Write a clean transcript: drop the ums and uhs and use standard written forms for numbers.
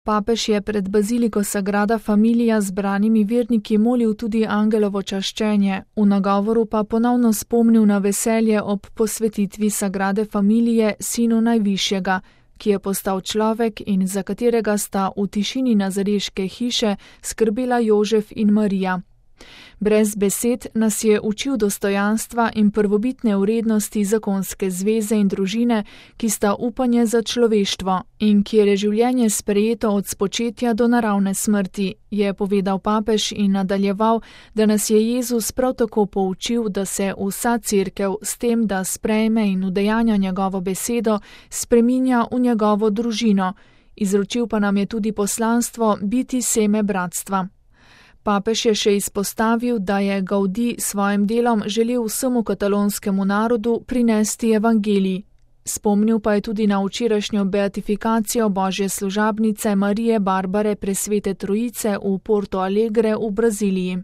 Papež je pred baziliko Sagrada Familia zbranimi verniki molil tudi angelovo čaščenje, v nagovoru pa ponovno spomnil na veselje ob posvetitvi Sagrade Familije Sinu Najvišjega, ki je postal človek in za katerega sta v tišini nazareške hiše skrbela Jožef in Marija. Brez besed nas je učil dostojanstva in prvobitne vrednosti zakonske zveze in družine, ki sta upanje za človeštvo in kjer je življenje sprejeto od spočetja do naravne smrti, je povedal papež in nadaljeval, da nas je Jezus prav tako poučil, da se vsa cerkev s tem, da sprejme in udejanja njegovo besedo, spreminja v njegovo družino. Izročil pa nam je tudi poslanstvo biti seme bratstva. Papež je še izpostavil, da je Gaudí s svojim delom želel vsemu katalonskemu narodu prinesti evangelij. Spomnil pa je tudi na včerajšnjo beatifikacijo božje služabnice Marije Barbare Presvete Trojice v Porto Alegre v Braziliji.